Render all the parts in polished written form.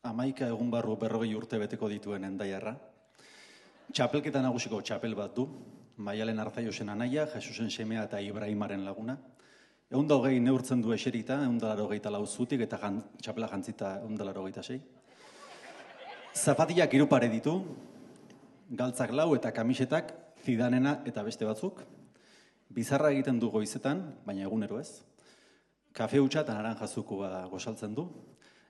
11 egun barru 40 urte beteko dituen Hendaiarra. Txapelketa nagusiko txapel bat du, Maialen Arzaiosen anaia, Jesusen semea eta Ibrahimaren laguna. 120 neurtzen du eserita, 184 zutik eta txapela jantzita 186. Zapatillak 3 pare ditu, galtzak 4 eta kamisetak, Zidanena eta beste batzuk. Bizarra egiten du goizetan, baina egunero ez. Kafe hutsa eta naranjazukua gosaltzen du.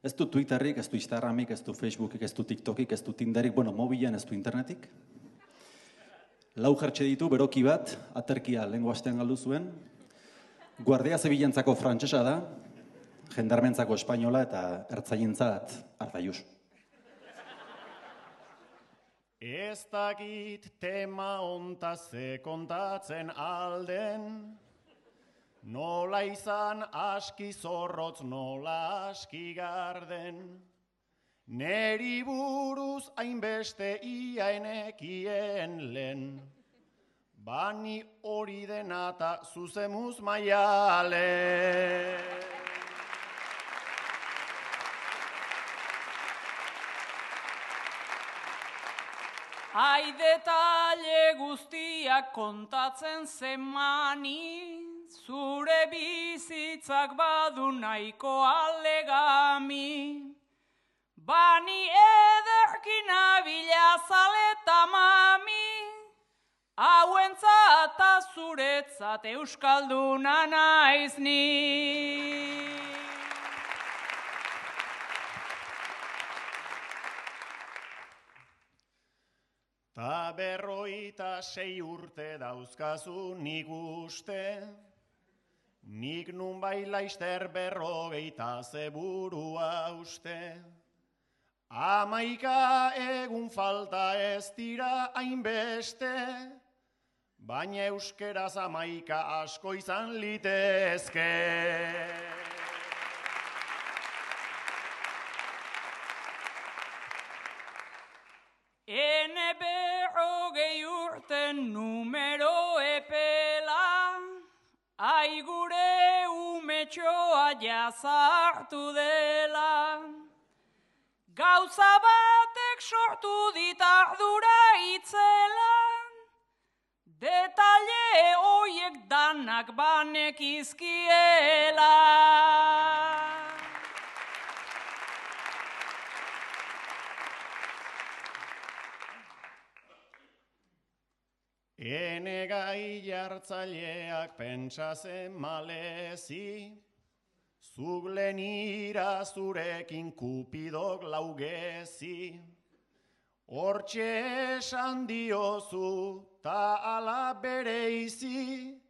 Ez du Twitterrik, ez du Instagramik, ez du Facebookik, ez du TikTokik, ez du Tinderik, mobilan ez du internetik. 4 jertxe ditu, beroki bat, aterkia lehengo astean galdu zuen. Guardia Zibilentzako frantsesa da, jendarmentzako espainola eta ertzaientzat Arzaius. Ez dakit tema hontaz ze kontatzen alden, nola izan aski zorrotz, nola aski garden. Neri buruz hainbeste iaenekien lehen, bani hori dena eta zuzemuz maialen. Ai detalle guztiak kontatzen zemani, zure bizitzak badu nahiko alegami. Bani ederkin abila zaleta mami, hauentzat eta zuretzat euskalduna naiz ni. Ta 56 urte dauzkazu nik uste, nik nun laizter 40 zeburua uste. 11 egun falta ez dira hainbeste, baina euskeraz 11 asko izan litezke. Ene 40 urten numero epela, ai gure umetxoa jazartu dela. Gauza batek sortu dit ardura itzela, detalle hoiek danak banekizkiela. Ene gai jartzaileak pentsazen malezi, zuk lenira zurekin kupidok laugezi. Hortxe esan diozu ta ala bereizi,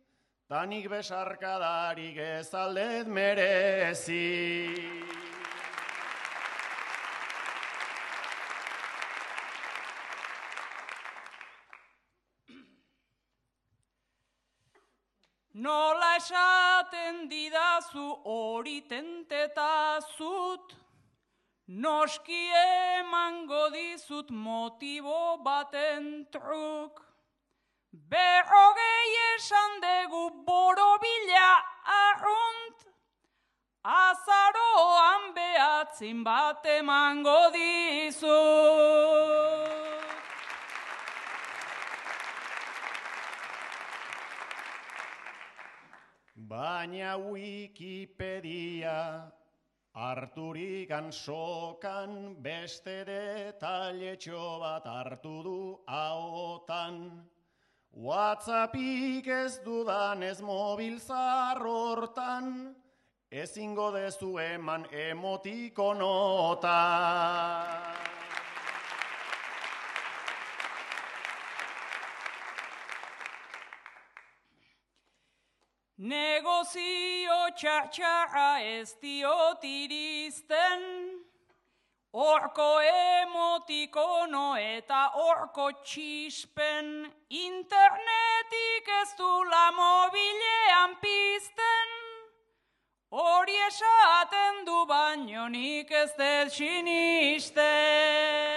ta nik besarkadarik ez aldet merezi. Nola esaten didazu hori tentetazut, noski emango dizut motibo baten truk. 40 esan dugu borobila arrunt, azaroan behatzin bat emango dizut. Baina Wikipedia harturik sokan, beste detailetxo bat hartu du ahotan. WhatsAppik ez dudanez mobil zarrortan, ezingo dezu eman emotikonotan. Negozio txartxarra ez diot iristen, horko emotikono eta horko txispen, internetik ez du la mobilean pizten, hori esaten du baino nik ez dut sinisten.